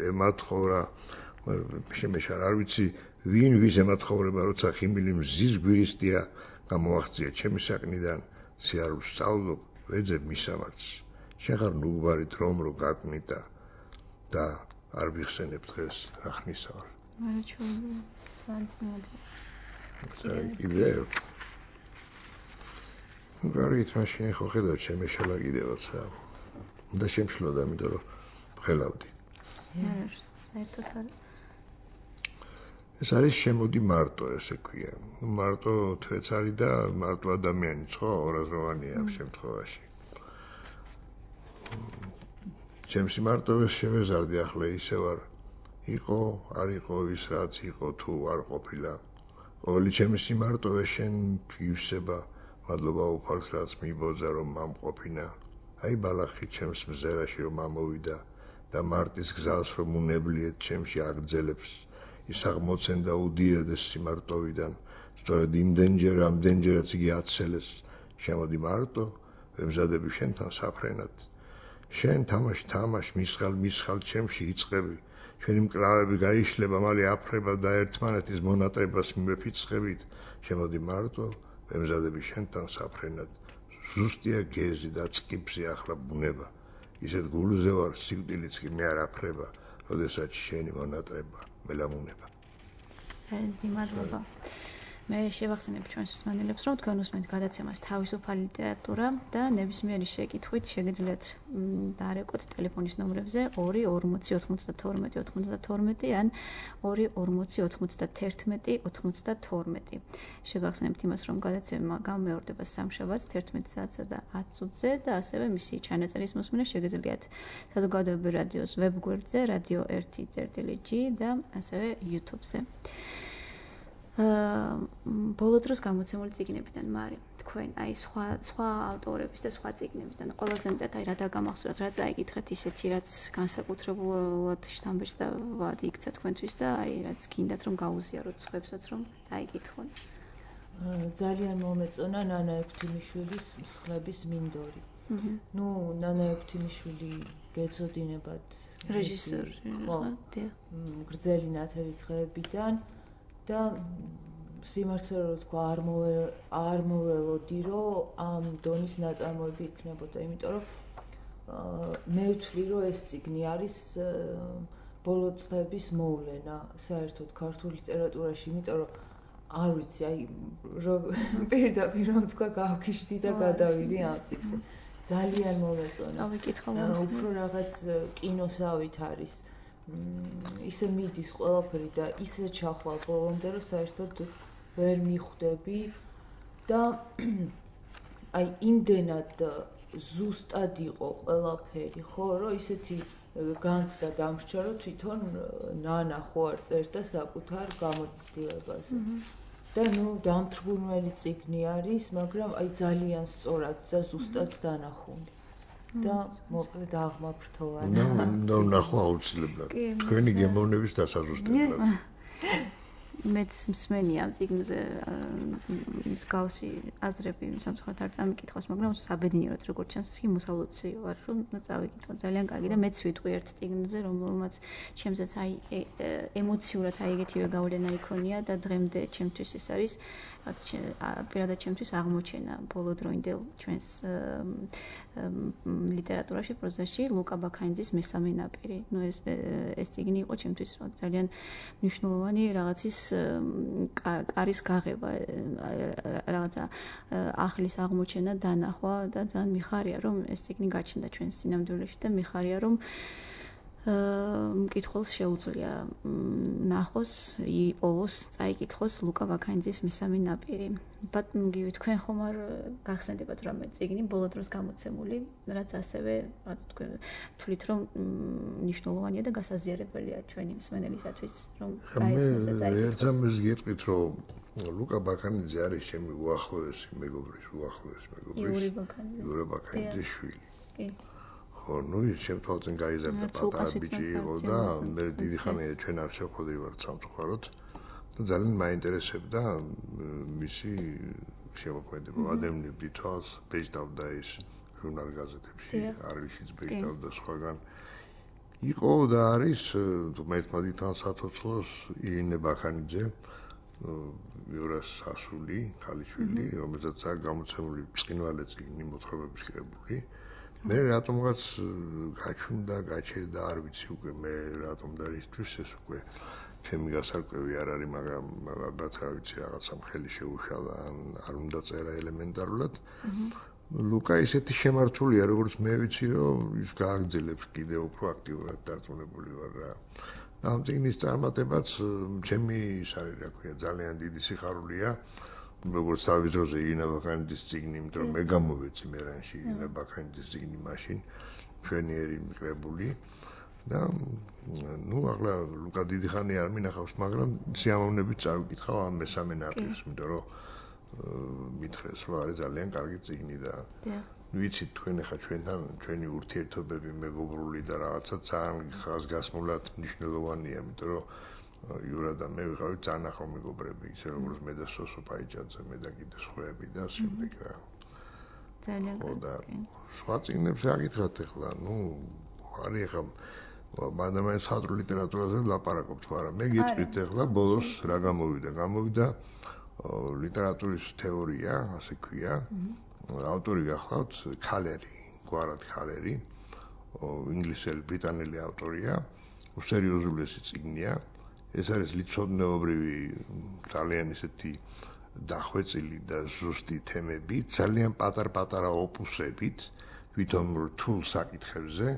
ემათხოვრა, შემეშარ არ ვიცი, ვინ ვის ემათხოვრება, როცა ხიმილი მზის გვირისტია, გამოაღწია ჩემი საკნიდან, სიარულს სწავლობ, ვეძებ მისამართს. შენ ხარ ნუგბარი დრომ რო გაკვნიდა და არ ვიხსენებ დღეს რა ხნისა ვარ. მარაჩვენო ძალიან კიდე გარეთ მაშინ ხო ხედავ ჩემი შელა კიდევაც რა. უნდა შემშლოდა, იმიტომ რომ ვხელავდი. საერთოდ არ ეს არის შემოდი მარტო ესე ქვია. მარტო თვეც არის და მარტო ადამიანიც ხო ორაზროვანია ამ შემთხვევაში. ჩემს მარტოვეს შევეზარდი ახლა ისე ვარ იყო არ იყო ის რაც იყო თუ არ ყოფილა ყოველი ჩემი სიმარტოვე შენ ივსება მადლობა უფალს რაც მიბოძა რომ მამყოფინა აი ბალახი ჩემს მზერაში რომ ამოვიდა და მარტის გზას რომ უნებლიეთ ჩემში აგრძელებს ის აღმოცენდა უდიოდეს სიმარტოვიდან სწორედ იმდენჯერ ამდენჯერაც იგი აცელეს შემოდი მარტო ვემზადები შენთან საფრენად შენ თამაში თამაშ მისხალ მისხალ ჩემში იწყები ჩვენი მკლავები გაიშლება მალე აფრება და ერთმანეთის მონატრებას მიმეფიცხებით შემოდი მარტო ვემზადები შენთან საფრენად ზუსტია გეზი და წყიფსი ახლა ბუნება ისეთ გულზე ვარ სიკვდილიც კი მე არ აფრება როდესაც შენი მონატრება მელამუნება ძალიან მადლობა მე შევახსენებ ჩვენს მსმენელებს, რომ თქვენ უსმენთ გადაცემას თავისუფალი ლიტერატურა და ნებისმიერი შეკითხვით შეგიძლიათ დაარეკოთ ტელეფონის ნომრებზე ორი ორმოცი ოცდათორმეტი ოცდათორმეტი ან ორი ორმოცი ოცდათერთმეტი ოცდათორმეტი. შევახსენებთ იმას, რომ გადაცემა გამეორდება სამშაბათს თერთმეტ საათსა და ათ წუთზე და ასევე მისი ჩანაწერის მოსმენა შეგიძლიათ საზოგადოებრივი რადიოს ვებგვერდზე radio ერთი წერტილი ჯი და ასევე YouTube-ზე. ბოლო დროს გამოცემული წიგნებიდან მარი თქვენ აი სხვა სხვა ავტორების და სხვა წიგნებიდან ყველაზე მეტად აი რა დაგამახსოვრათ რა წაიკითხეთ ისეთი რაც განსაკუთრებულად შთამბეჭ და ვადი იქცა თქვენთვის და აი რაც გინდათ რომ გაუზიაროთ სხვებსაც რომ დაიკითხონ ძალიან მომეწონა ნანა ექვთიმიშვილის მსხლების მინდორი. ნუ ნანა ექვთიმიშვილი გეწოდინებათ რეჟისორი, ხო, გრძელი ნათელი დღეებიდან და სიმართლე რომ თქვა არ მოვა არ მოველოდი რომ ამ დონის ნაწარმოები იქნებოდა, იმიტომ რომ მე ვთვლი რომ ეს წიგნი არის ბოლო წლების მოვლენა საერთოდ ქართულ ლიტერატურაში, იმიტომ რომ არ ვიცი, აი პირდაპირ რომ თქვა გავქიშდი და გადავიდი ამ წიგნზე. ძალიან მომეწონა. წავიკითხავ უფრო რაღაც კინოსავით არის. ისე მიდის ყველაფერი და ისე ჩახვალ ბოლომდე რომ საერთოდ ვერ მიხვდები და აი იმდენად ზუსტად იყო ყველაფერი, ხო, რომ ისეთი განცდა დამრჩა, რომ თვითონ ნანა ხო არ წერდა საკუთარ გამოცდილებაზე. და ნუ დამთრგუნველი წიგნი არის, მაგრამ აი ძალიან სწორად და ზუსტად დანახული. და მოკლედ აღმაფრთოვანა. ნუ ნახვა აუცილებლად. თქვენი გემოვნების დასაზუსტებლად. მეც მსმენია ამ წიგნზე მსგავსი აზრები სამწუხაროდ არ წამიკითხავს, მაგრამ საბედნიეროდ როგორც ჩანს, ის კი მოსალოდნელი ვარ, რომ წავიკითხო. ძალიან კარგი და მეც ვიტყვი ერთ წიგნზე, რომელმაც ჩემზეც აი ემოციურად აი ეგეთივე გავლენა იქონია და დღემდე ჩემთვის ეს არის პირადად ჩემთვის აღმოჩენა ბოლო დროინდელ ჩვენს ლიტერატურაში, პროზაში ლუკა ბაქაინძის მესამე ნაპირი. ნუ ეს ეს წიგნი იყო ჩემთვის ძალიან მნიშვნელოვანი რაღაცის კარის გაღება, რაღაცა ახლის აღმოჩენა, დანახვა და ძალიან მიხარია, რომ ეს წიგნი გაჩნდა ჩვენს სინამდვილეში და მიხარია, რომ მკითხველს შეუძლია ნახოს, იპოვოს, წაიკითხოს ლუკა ბაქაინძის მესამე ნაპირი. ბატონო გივი, თქვენ ხომ არ გახსენდებათ რამე წიგნი ბოლო დროს გამოცემული, რაც ასევე რაც თქვენ თვლით, რომ მნიშვნელოვანია და გასაზიარებელია ჩვენი მსმენელისათვის, რომ გაეცნოს და წაიკითხოს. ერთ რამეს გეტყვით, რომ ლუკა ბაქაინძე არის ჩემი უახლოესი მეგობრის, უახლოესი მეგობრის იური ბაქაინძე. იური ბაქაინძის შვილი. კი. ნუ ის ჩემ თვალწინ გაიზარდა პატარა ბიჭი იყო და მე დიდი ხანია ჩვენ არ შევხვდივართ სამწუხაროდ და ძალიან მაინტერესებდა მისი შემოქმედება. ადამიანები თვალს ბეჭდავდა ის ჟურნალ გაზეთებში, არლიშიც ბეჭდავდა სხვაგან. იყო და არის მეთმადი თან სათოცხლოს ირინე ბაქაინძე, იურას ასული, ქალიშვილი, რომელსაც აქვს გამოცემული ბრწყინვალე წიგნი მოთხრობების კრებული. მე რატომღაც გაჩვენდა, გაჩერდა, არ ვიცი უკვე მე რატომ და ისთვის ეს უკვე ჩემი გასარკვევი არ არის, მაგრამ ალბათ რა ვიცი რაღაცა მხელი შეუშალა, ან არ უნდა წერა ელემენტარულად. ლუკა ისეთი შემართულია, როგორც მე ვიცი, რომ ის გააგრძელებს კიდე უფრო აქტიურად დარწმუნებული ვარ რა. ამ წიგნის წარმატებაც ჩემი ის არის, რა ქვია, ძალიან დიდი სიხარულია. როგორც თავის დროზე ირინა ბაქაინძის წიგნი, იმიტომ რომ მე გამოვეცი მერანში ირინა ბაქაინძის წიგნი მაშინ მშვენიერი მკრებული და ნუ ახლა ლუკა დიდი ხანი არ მინახავს, მაგრამ სიამოვნებით წავიკითხავ ამ მესამე ნაპირს, იმიტომ რომ მითხრეს, რომ არის ძალიან კარგი წიგნი და ვიცით თქვენ ახლა ჩვენთან ჩვენი ურთიერთობები მეგობრული და რაღაცა ძალიან ხაზგასმულად მნიშვნელოვანია, იმიტომ რომ იურა და მე ვიყავით ძალიან ახლო მეგობრები, ისე როგორც მე და სოსო პაიჭაძე, მე და კიდე სხვაები და შემდეგ რა. ძალიან კარგი. სხვა წიგნებს აკითხრათ ახლა, ნუ არის ახლა მანდამაინც ხალხურ ლიტერატურაზე ვლაპარაკობთ, მაგრამ მე გიწვით ახლა ბოლოს რა გამოვიდა? გამოვიდა ლიტერატურის თეორია, ასე ქვია. ავტორი გახლავთ ქალერი, გვარად ქალერი, ინგლისელი, ბრიტანელი ავტორია, სერიოზულესი წიგნია. ეს არის ლიცოდნეობრივი ძალიან ისეთი დახვეწილი და ზუსტი თემები, ძალიან პატარ-პატარა ოპუსებით, თვითონ რთულ საკითხებზე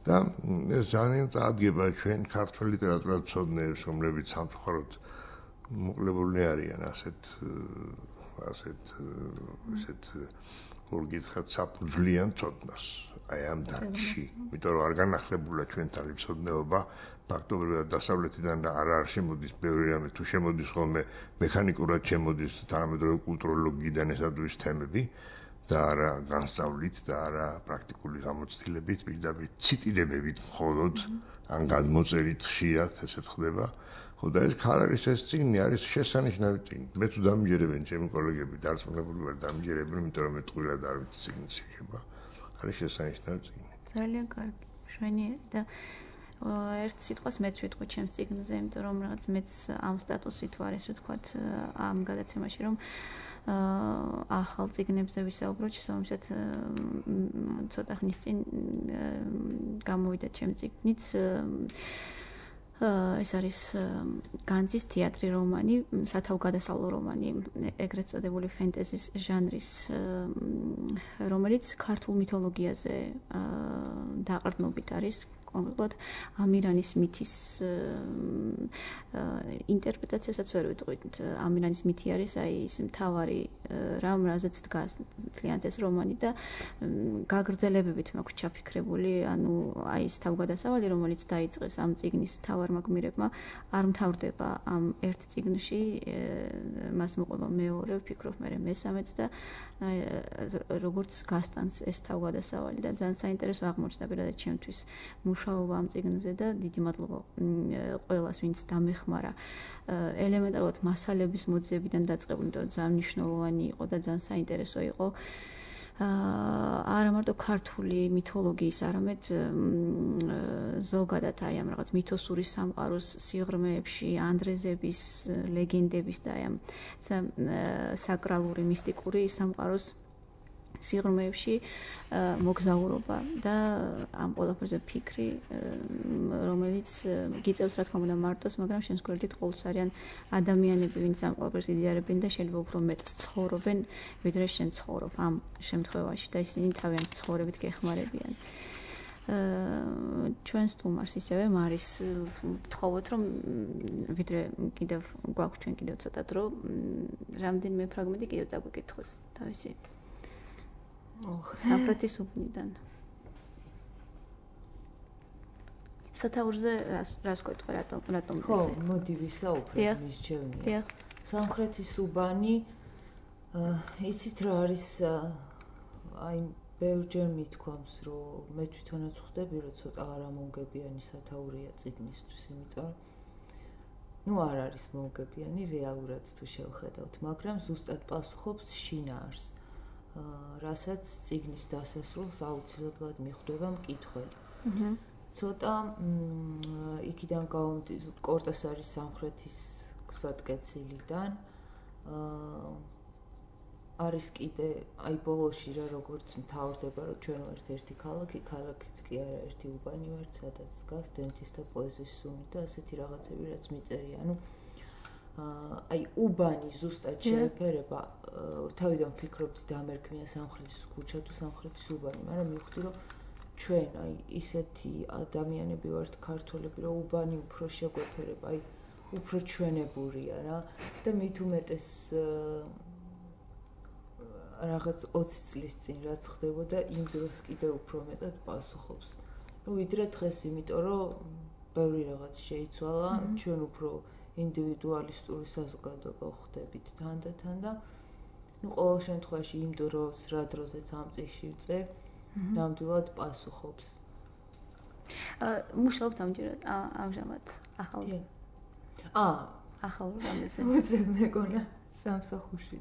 და ეს ძალიან წაადგება ჩვენ ქართულ ლიტერატურათმცოდნეებს, რომლებიც სამწუხაროდ მოკლებული არიან ასეთ ასეთ ესეთ ორგითხრათ საფუძვლიან ცოდნას აი ამ დარგში, იმიტომ რომ არ განახლებულა ჩვენთან ლიცოდნეობა ფაქტობრივად დასავლეთიდან არ არ შემოდის ბევრი რამე, თუ შემოდის ხოლმე მექანიკურად შემოდის თანამედროვე კულტუროლოგიიდან ესადურის თემები და არა განსწავლით და არა პრაქტიკული გამოცდილებით, პირდაპირ ციტირებებით მხოლოდ ან გადმოწერით ხშირად ესეთ ხდება. ხო და ეს ქალარის ეს წიგნი არის შესანიშნავი წიგნი. მე თუ დამიჯერებენ ჩემი კოლეგები დარწმუნებული ვარ დამიჯერებენ, იმიტომ რომ მე ტყუილად არ ვიცი წიგნის შეხება. არის შესანიშნავი წიგნი. ძალიან კარგი, მშვენიერი და ერთ სიტყვას მეც ვიტყვი ჩემს წიგნზე, იმიტომ რომ რაღაც მეც ამ სტატუსით ვარ, ესე ვთქვათ, ამ გადაცემაში, რომ ახალ წიგნებზე ვისაუბროთ, შესაბამისად ცოტა ხნის წინ გამოვიდა ჩემი წიგნიც. ეს არის განძის თეატრი რომანი, სათავგადასავლო რომანი, ეგრეთ წოდებული ფენტეზის ჟანრის, რომელიც ქართულ მითოლოგიაზე დაყრდნობით არის. კონკრეტულად ამირანის მითის ინტერპრეტაციასაც ვერ ვიტყვით. ამირანის მითი არის აი ის მთავარი რამ, რაზეც დგას მთლიანად ეს რომანი და გაგრძელებებით მაქვს ჩაფიქრებული, ანუ აი ეს თავგადასავალი, რომელიც დაიწყეს ამ წიგნის მთავარმა გმირებმა, არ მთავრდება ამ ერთ წიგნში, მას მოყვება მეორე, ვფიქრობ მე მესამეც და როგორც გასტანს ეს თავგადასავალი და ძალიან საინტერესო აღმოჩნდა პირადად ჩემთვის. მუშაობა ამ წიგნზე და დიდი მადლობა ყველას, ვინც დამეხმარა. ელემენტარულად მასალების მოძიებიდან დაწყებული, იმიტომ რომ ძალიან მნიშვნელოვანი იყო და ძალიან საინტერესო იყო. არა მარტო ქართული მითოლოგიის, არამედ ზოგადად აი ამ რაღაც მითოსური სამყაროს სიღრმეებში, ანდრეზების, ლეგენდების და აი ამ საკრალური, მისტიკური სამყაროს სიღრმეებში მოგზაურობა და ამ ყველაფერზე ფიქრი, რომელიც გიწევს რა თქმა უნდა მარტოს, მაგრამ შენს გვერდით ყოველს არიან ადამიანები, ვინც ამ ყველაფერს იზიარებენ და შეიძლება უფრო მეტს ცხოვრობენ, ვიდრე შენ ცხოვრობ ამ შემთხვევაში და ისინი თავიანთი ცხოვრებით გეხმარებიან. ჩვენ სტუმარს ისევე მარის ვთხოვოთ, რომ ვიდრე კიდევ გვაქვს ჩვენ კიდევ ცოტა დრო, რამდენიმე ფრაგმენტი კიდევ დაგვიკითხოს თავისი სამხრეთის უბნიდან. სათაურზე რას გეტყვი, რატომ რატომ ესე? ხო, მოდი ვისაუბრებ მის ჩემნია. სამხრეთის უბანი, იცით რა არის, აი ბევრჯერ მithქვამს, რომ მე თვითონაც ხვდები, რომ ცოტა არამონგებიანი სათაურია წიგნისთვის, იმიტომ რომ ну არ არის მონგებიანი რეალურად თუ შევხედავთ, მაგრამ ზუსტად პასუხობს შინაარს. რასაც წიგნის დასასრულს აუცილებლად მიხვდება მკითხველი. ცოტა იქიდან გავამტივ კორტასარის სამხრეთის გზატკეცილიდან არის კიდე აი ბოლოში რა როგორც მთავრდება, რომ ჩვენ ვართ ერთი ქალაქი, ქალაქიც კი არა ერთი უბანი ვართ, სადაც დგას დენთის და პოეზიის სუნი და ასეთი რაღაცები, რაც მიწერია. ანუ აი უბანი ზუსტად შეეფერება, თავიდან ვფიქრობდი დამერქმია სამხრეთის ქუჩა თუ სამხრეთის უბანი, მაგრამ მივხვდი რომ ჩვენ აი ისეთი ადამიანები ვართ ქართველები, რომ უბანი უფრო შეგვეფერება, აი უფრო ჩვენებურია რა და მით უმეტეს რაღაც ოცი წლის წინ რაც ხდებოდა, იმ დროს კიდევ უფრო მეტად პასუხობს. ну ვიდრე დღეს, იმიტომ რომ ბევრი რაღაც შეიცვალა, ჩვენ უფრო ინდივიდუალისტური საზოგადოება ვხდებით თანდათან და ну ყოველ შემთხვევაში იმ დროს რა დროზეც ამ წიგნში ვწერ, ნამდვილად პასუხობს. აა მუშაობთ ამჯერად ამჟამად ახალ ა ახალ რამეზე. უძებ მეგონა სამსახურში.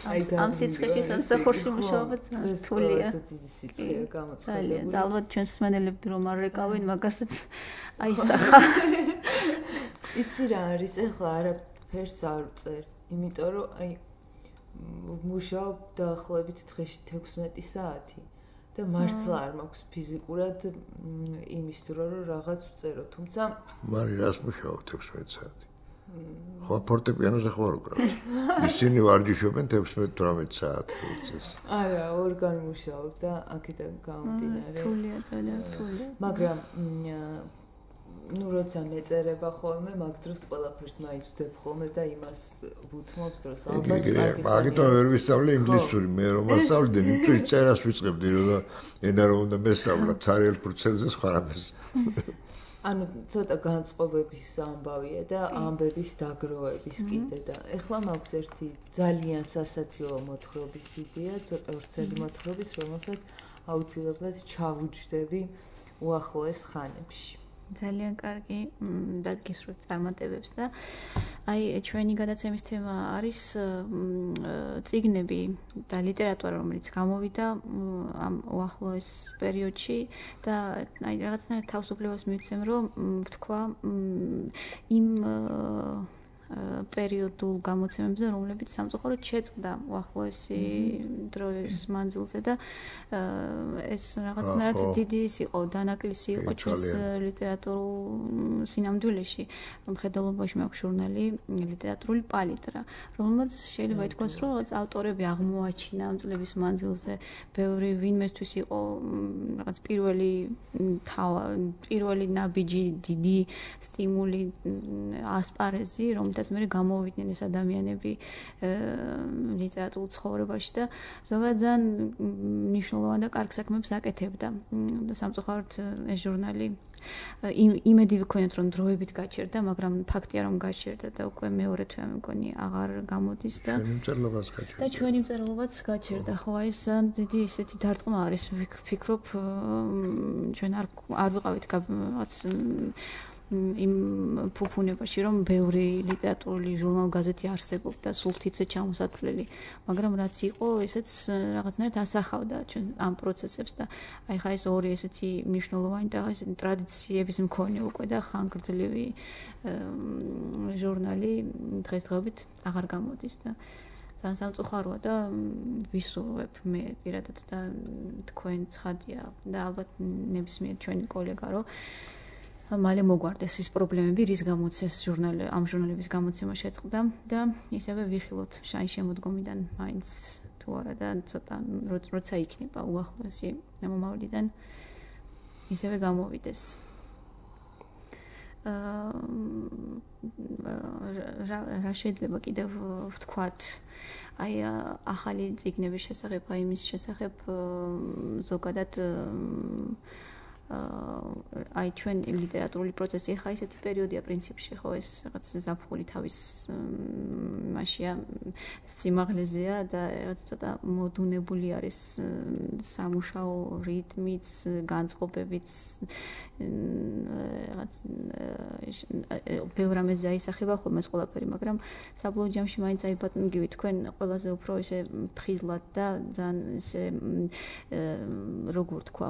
აი ამ სიცხეში სამსახურში მუშაობა რთულია. სიცხეა გამოცხადებული. და ალბათ ჩვენს მსმენელები რომ არ ეკავენ მაგასაც აისახა. იცი რა არის, ეხლა არაფერს არ ვწერ, იმიტომ რომ აი მუშაობ დაახლოებით დღეში თექვსმეტი საათი და მართლა არ მაქვს ფიზიკურად იმის დრო რომ რაღაც ვწერო, თუმცა მარი რას მუშაობ თექვსმეტი საათი? ხო ფორტეპიანოზე ხوار უკრავს. ისინი ვარჯიშობენ თექვსმეტ-თვრამეტ საათი უწეს. არა, ორგან მუშაობ და აქედან გამომდინარე. რთულია, ძალიან რთულია. მაგრამ ну როცა მეწერება ხოლმე, მაგ დროს ყველაფერს მაინც ვძებ ხოლმე და იმას ვუთმობ დროს ალბათ. მაგიტომ ვერ ვისწავლე ინგლისური, მე რომ ასწავლდე, იმიტომ წერას ვიწყებდი, რომ ენა რომ უნდა მესწავლა ცარიელ პროცესზე სხვა რამეს. ანუ ცოტა განწყობების ამბავია და ამბების დაგროვების კიდე და ეხლა მაქვს ერთი ძალიან სასაცილო მოთხრობის იდეა, ცოტა ვრცელი მოთხრობის, რომელსაც აუცილებლად ჩავუჯდები უახლოეს ხანებში. ძალიან კარგი დაგისურვებთ წარმატებებს და აი ჩვენი გადაცემის თემა არის წიგნები და ლიტერატურა, რომელიც გამოვიდა ამ უახლოეს პერიოდში და აი რაღაცნაირად თავისუფლებას მივცემ, რომ ვთქვა იმ პერიოდულ გამოცემებზე, რომლებიც სამწუხაროდ შეწყდა უახლოესი დროის მანძილზე და ეს რაღაცნაირად დიდი ის იყო, დანაკლისი იყო ჩვენს ლიტერატურულ სინამდვილეში. მხედველობაში მაქვს ჟურნალი ლიტერატურული პალიტრა, რომელმაც შეიძლება ითქვას, რომ რაღაც ავტორები აღმოაჩინა ამ წლების მანძილზე, ბევრი ვინმესთვის იყო რაღაც პირველი თავა, პირველი ნაბიჯი, დიდი სტიმული, ასპარეზი, რომ და მე გამოვიდნენ ეს ადამიანები ლიტერატურულ ცხოვრებაში და ზოგადად ძალიან მნიშვნელოვან და კარგ საქმებს აკეთებდა და სამწუხაროდ ეს ჟურნალი იმედი ვიქონიათ რომ დროებით გაჩერდა, მაგრამ ფაქტია რომ გაჩერდა და უკვე მეორე თვე მეგონი აღარ გამოდის და ჩვენი მწერლობაც გაჩერდა. და ჩვენი მწერლობაც გაჩერდა. ხო, აი ეს დიდი ისეთი დარტყმა არის, ვფიქრობ ჩვენ არ არ ვიყავით რაღაც იმ ფუფუნებაში, რომ ბევრი ლიტერატურული ჟურნალ-გაზეთი არსებობდა, სულთიცე ჩამოსათვლელი, მაგრამ რაც იყო, ესეც რაღაცნაირად ასახავდა ჩვენ ამ პროცესებს და აი ხა ეს ორი ესეთი მნიშვნელოვანი და ესეთი ტრადიციების მქონე უკვე და ხანგრძლივი ჟურნალი დღესდღეობით აღარ გამოდის და ძალიან სამწუხაროა და ვისურვებ მე პირადად და თქვენ ცხადია და ალბათ ნებისმიერ ჩვენი კოლეგა რომ მალე მოგვარდეს ის პრობლემები, რის გამოც ეს ჟურნალი, ამ ჟურნალების გამოცემა შეწყდა და ისევე ვიხილოთ შაინ შემოდგომიდან მაინც თუ არა და ცოტა როცა იქნება უახლოესი მომავლიდან ისევე გამოვიდეს. რა შეიძლება კიდევ ვთქვათ, აი ახალი წიგნების შესახებ, აი იმის შესახებ ზოგადად აი ჩვენ ლიტერატურული პროცესი ხა ისეთი პერიოდია პრინციპში ხო ეს რაღაც ზაფხული თავის მასია სიმაღლეზეა და რაღაც ცოტა მოდუნებული არის სამუშაო რიტმიც, განწყობებიც რაღაც ბევრ რამეზე აისახება ხოლმე ეს ყველაფერი, მაგრამ საბოლოო ჯამში მაინც აი ბატონგივი თქვენ ყველაზე უფრო ისე ფხიზლად და ძალიან ისე როგორ თქვა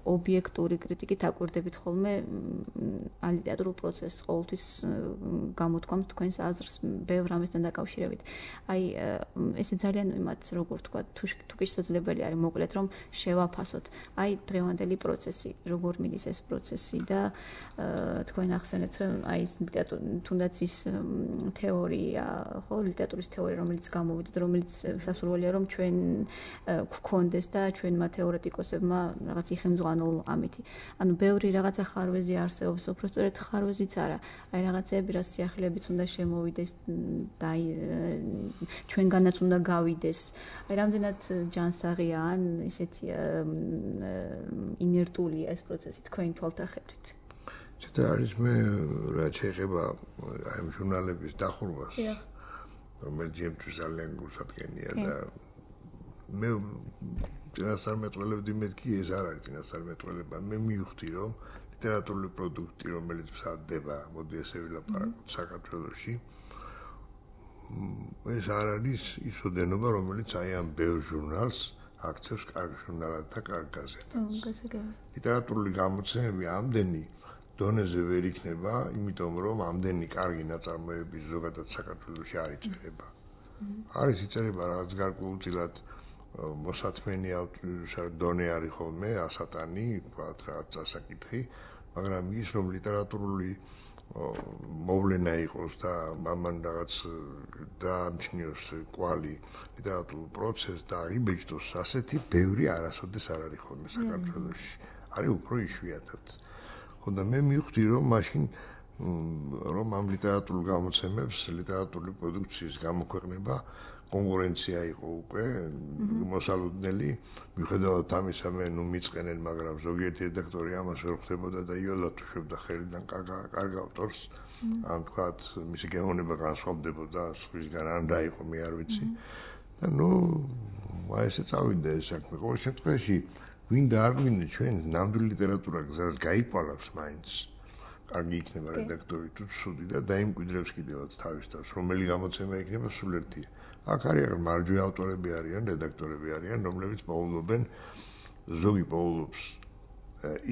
ობიექტური კრიტიკით აკვირდებით ხოლმე ლიტერატურულ პროცესს, ყოველთვის გამოთქვამთ თქვენს აზრს ბევრ რამესთან დაკავშირებით. აი ესე ძალიან იმათ როგორ თქვა თუ კი შესაძლებელი არის მოკლედ რომ შევაფასოთ. აი დღევანდელი პროცესი, როგორ მიდის ეს პროცესი და თქვენ ახსენეთ რომ აი თუნდაც ის თეორია, ხო, ლიტერატურის თეორია, რომელიც გამოვიდა, რომელიც სასურველია რომ ჩვენ გვქონდეს და ჩვენმა თეორეტიკოსებმა რაღაც იხელმძღვანელ ამითი. ანუ ბევრი რაღაცა ხარვეზი არსებობს, უბრალოდ ხარვეზიც არა. აი რაღაცეები, რაც სიახლეებით უნდა შემოვიდეს და აი ჩვენგანაც უნდა გავიდეს. აი რამდენად ჯანსაღია ან ისეთი ინერტულია ეს პროცესი თქვენი თვალთახედვით. ცოტა არის მე რაც შეეხება აი ამ ჟურნალების დახურვას. რომელიც ჩემთვის ძალიან გულსადგენია და მე წინასწარმეტყველებდი მეთქი ეს არ არის წინასწარმეტყველება. მე მივხვდი რომ ლიტერატურული პროდუქტი, რომელიც მზადდება, მოდი ესე ვილაპარაკოთ საქართველოში, ეს არ არის ის ოდენობა, რომელიც აი ამ ბევრ ჟურნალს აქცევს კარგ ჟურნალად და კარგ გაზეთას. ლიტერატურული გამოცემები ამდენი დონეზე ვერ იქნება, იმიტომ რომ ამდენი კარგი ნაწარმოები ზოგადად საქართველოში არ იწერება. არის იწერება რაღაც გარკვეულწილად მოსათმენი დონე არის ხოლმე, ასატანი, ვთქვათ, რაღაც წასაკითხი, მაგრამ ის რომ ლიტერატურული მოვლენა იყოს და ამან რაღაც დაამჩნიოს კვალი ლიტერატურულ პროცესს და აიბეჭდოს ასეთი ბევრი არასოდეს არ არის ხოლმე საქართველოში. არის უფრო იშვიათად. ხოდა მე მივხვდი რომ მაშინ რომ ამ ლიტერატურულ გამოცემებს, ლიტერატურული პროდუქციის გამოქვეყნება კონკურენცია იყო უკვე მოსალოდნელი, მიუხედავად ამისა მე ნუ მიწყენენ, მაგრამ ზოგიერთი რედაქტორი ამას ვერ ხვდებოდა და იოლად უშვებდა ხელიდან კარგ ავტორს, ან თქვათ მისი გეოვნება განსხვავდებოდა სხვისგან, ან რა იყო მე არ ვიცი. და ნუ აი ესე წავიდა ეს საქმე. ყოველ შემთხვევაში ვინ და არ გვინდა ჩვენ ნამდვილი ლიტერატურა გზას გაიყვანებს მაინც. კარგი იქნება რედაქტორი თუ ცუდი და დაიმკვიდრებს კიდევაც თავის თავს, რომელი გამოცემა იქნება სულ ერთია. აქ არის მარჯვენა ავტორები არიან, რედაქტორები არიან, რომლებიც პოულობენ ზოგი პოულობს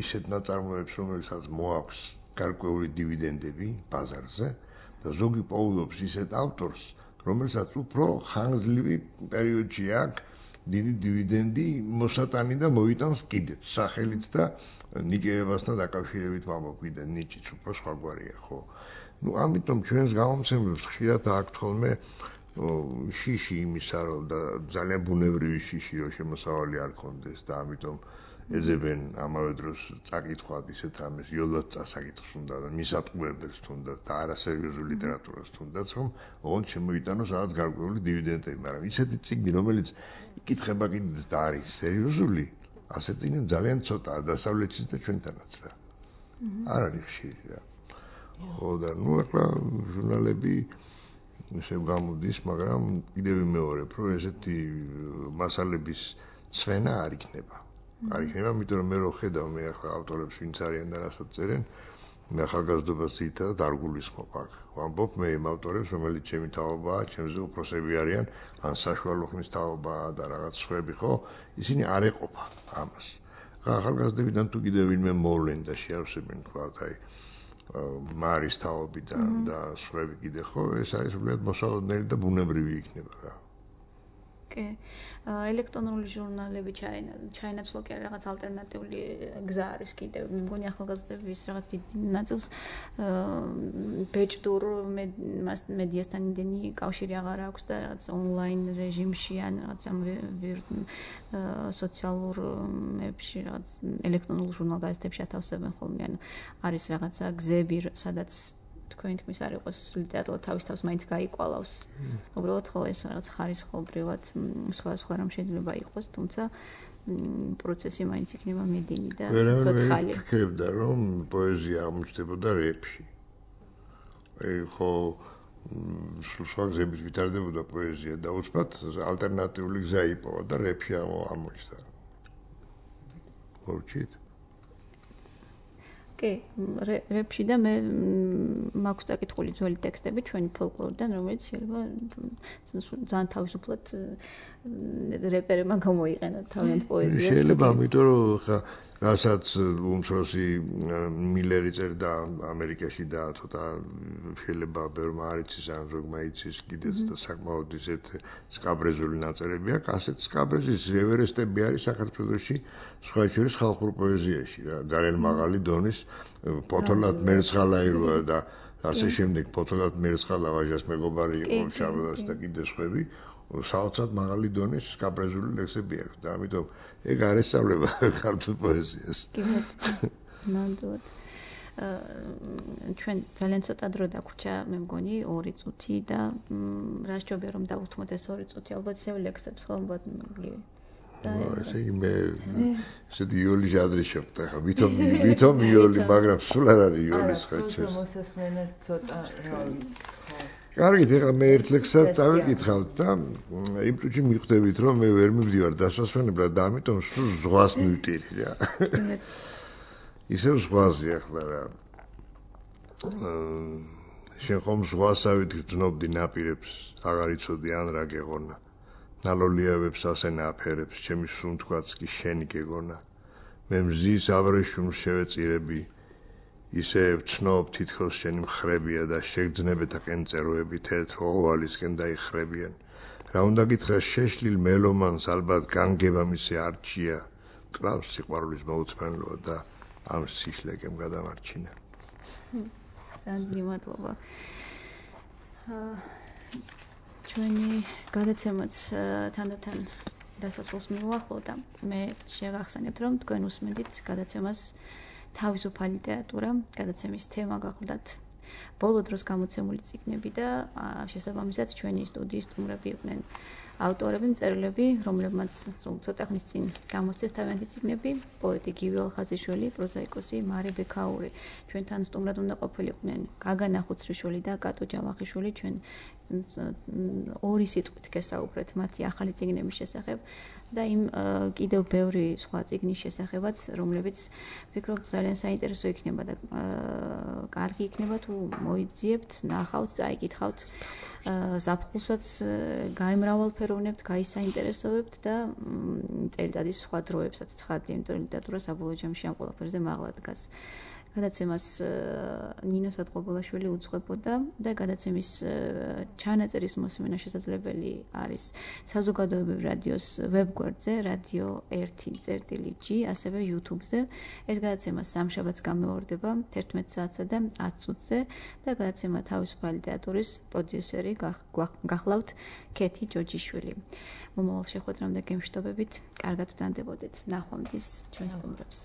ისეთ ნაწარმოებს, რომელსაც მოაქვს გარკვეული დივიდენდები ბაზარზე და ზოგი პოულობს ისეთ ავტორს, რომელსაც უფრო ხანგრძლივი პერიოდში აქვს დიდი დივიდენდი მოსატანი და მოიტანს კიდეც სახელით და ნიჭიერებასთან დაკავშირებით ვამბობ, ნიჭიც უფრო სხვაგვარია, ხო? ნუ ამიტომ ჩვენს გამომცემლებს ხშირად აქვთ ხოლმე შიში იმისა, რომ და ძალიან ბუნებრივი შიში, რომ შემოსავალი არ ქონდეს და ამიტომ ეძებენ ამავე დროს წაკითხვად ისეთ რამეს, იოლად წასაკითხს უნდა და მისატყუებელს თუნდაც და არასერიოზულ ლიტერატურას თუნდაც, რომ ოღონდ შემოიტანოს რაღაც გარკვეული დივიდენდები, მაგრამ ისეთი წიგნი, რომელიც იკითხება კიდეც და არის სერიოზული, ასეთი ძალიან ცოტაა დასავლეთში და ჩვენთანაც რა. არ არის ხშირი რა. ხო და ნუ ახლა ჟურნალები ესე გამოდის, მაგრამ კიდევ ვიმეორებ, რომ ესეთი მასალების ცვენა არ იქნება. არ იქნება, იმიტომ რომ მე რო ხედავ მე ახლა ავტორებს ვინც არიან და რასაც წერენ, მე ახალგაზრდობას ძირითადად არ გულისხმობ აქ. ვამბობ მე იმ ავტორებს, რომელიც ჩემი თაობაა, ჩემზე უფროსები არიან, ან საშუალო ხმის თაობაა და რაღაც სხვები, ხო? ისინი არ ეყოფა ამას. ახალგაზრდებიდან თუ კიდევ ვინმე მოვლენ და შეავსებენ თქვათ, აი მარის თაობიდან და სხვები კიდე, ხო? ეს არის უბრალოდ მოსალოდნელი და ბუნებრივი იქნება რა. კი. ელექტრონული ჟურნალები ჩაენაცვლა კი რაღაც ალტერნატიული გზა არის კიდევ. მე მგონი ახალგაზრდების რაღაც დიდი ნაწილს ბეჭდურ მედიასთან იმდენი კავშირი აღარ აქვს და რაღაც ონლაინ რეჟიმში ან რაღაც ამ სოციალურ მედიაში რაღაც ელექტრონულ ჟურნალ-გაზეთებში ათავსებენ ხოლმე. ანუ არის რაღაცა გზები, სადაც თქვენ თქმის არ იყოს ლიტერატურა თავის თავს მაინც გაიკვალავს. უბრალოდ ხო ეს რაღაც ხარისხობრივად სხვა სხვა რამ შეიძლება იყოს, თუმცა პროცესი მაინც იქნება მედინი და ცოცხალი. ვერავინ ვფიქრებდა, რომ პოეზია აღმოჩნდებოდა რეპში. აი ხო სხვა გზებით ვითარდებოდა პოეზია და უცბად ალტერნატიული გზა იპოვა და რეპში აღმოჩნდა. მოვჭით? კი, რეპში და მე მაქვს დაკითხული ძველი ტექსტები ჩვენი ფოლკლორიდან, რომელიც შეიძლება ძალიან თავისუფლად რეპერებმა გამოიყენოთ თავიანთ პოეზიას. შეიძლება, ამიტომ რომ ხა რასაც უმცროსი მილერი წერდა ამერიკაში და ცოტა შეიძლება ბევრმა არ იცის ან ზოგმა იცის კიდეც და საკმაოდ ისეთ სკაბრეზული ნაწერები აქვს, ასეთ სკაბრეზის ევერესტები არის საქართველოში სხვა შორის ხალხურ პოეზიაში რა, ძალიან მაღალი დონის ფოთოლად მერცხალაიროა და ასე შემდეგ ფოთოლად მერცხალა ვაჟას მეგობარი იყო შაბლას და კიდე სხვები საოცრად მაღალი დონის სკაბრეზული ლექსები აქვს და ამიტომ ეგ არ ესწავლება ქართულ პოეზიას. კი, ნამდვილად. ჩვენ ძალიან ცოტა დრო დაგვრჩა, მე მგონი ორი წუთი და რა სჯობია რომ დავუთმოთ ეს ორი წუთი, ალბათ ისევ ლექსებს ხო ალბათ გივი. და ესე იგი მე ესეთი იოლი ჟადრი შევხვდა ხა, ვითომ ვითომ იოლი, მაგრამ სულ არ არის იოლის ხაჩეს. არა, მოსასმენად ცოტა რა ვიცი, ხო. კარგით, ეხლა მე ერთ ლექსად წავიკითხავთ და იმ წუთში მიხვდებით, რომ მე ვერ მივდივარ დასასვენებლად და ამიტომ სულ ზღვას მივტირი რა. ისევ ზღვაზე ახლა რა. შენ ხომ ზღვასავით გრძნობდი ნაპირებს, აღარ იცოდი ან რა გეღონა. ნალოლიავებს ასე ნაფერებს, ჩემი სუნთქვაც კი შენი გეგონა. მე მზის აბრეშუმს შევეწირები. ისე ვცნობ თითქოს შენი მხრებია და შეგძნებეთა კენწეროები თეთრ ოვალისკენ დაიხრებიან. რა უნდა გითხრას შეშლილ მელომანს ალბათ განგება მისი არჩია. კლავს სიყვარულის მოუთმენლობა და ამ სიშლეგემ გადამარჩინა. ძალიან მადლობა. ჩვენი გადაცემაც თანდათან დასასრულს მიუახლოვდა. მე შეგახსენებთ, რომ თქვენ უსმენთ გადაცემას თავისუფალი ლიტერატურა, გადაცემის თემა გახლდათ ბოლო დროს გამოცემული წიგნები და შესაბამისად ჩვენი სტუდიის სტუმრები იყვნენ ავტორები, მწერლები, რომლებმაც ცოტა ხნის წინ გამოსცეს თავიანთი წიგნები, პოეტი გივი ალხაზიშვილი, პროზაიკოსი მარი ბექაური. ჩვენთან სტუმრად უნდა ყოფილიყვნენ გაგა ნახუცრიშვილი და კატო ჯავახიშვილი, ჩვენ ორი სიტყვით გესაუბრეთ მათი ახალი წიგნების შესახებ და იმ კიდევ ბევრი სხვა წიგნის შესახებაც, რომლებიც ვფიქრობ ძალიან საინტერესო იქნება და კარგი იქნება თუ მოიძიებთ, ნახავთ, წაიკითხავთ, ზაფხულსაც გაემრავალფეროვნებთ, გაისაინტერესებებთ და წელიწადის სხვა დროებსაც ცხადია, იმიტომ რომ ლიტერატურა საბოლოო ჯამში ამ ყველაფერზე მაღლა დგას. გადაცემას ნინო სადღობელაშვილი უძღვებოდა და გადაცემის ჩანაწერის მოსმენა შესაძლებელი არის საზოგადოებრივ რადიოს ვებგვერდზე რადიო ერთი წერტილი ჯი, ასევე YouTube-ზე. ეს გადაცემა სამშაბათს გამეორდება თერთმეტ საათსა და ათ წუთზე და გადაცემა თავისუფალი თეატრის პროდიუსერი გახლავთ ქეთი ჯოჯიშვილი. მომავალ შეხვედრამდე გემშვიდობებით, კარგად ვდანდებოდეთ. ნახვამდის ჩვენ სტუმრებს.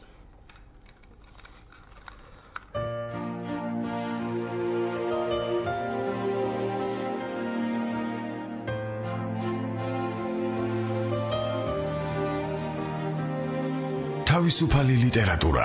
თავისუფალი ლიტერატურა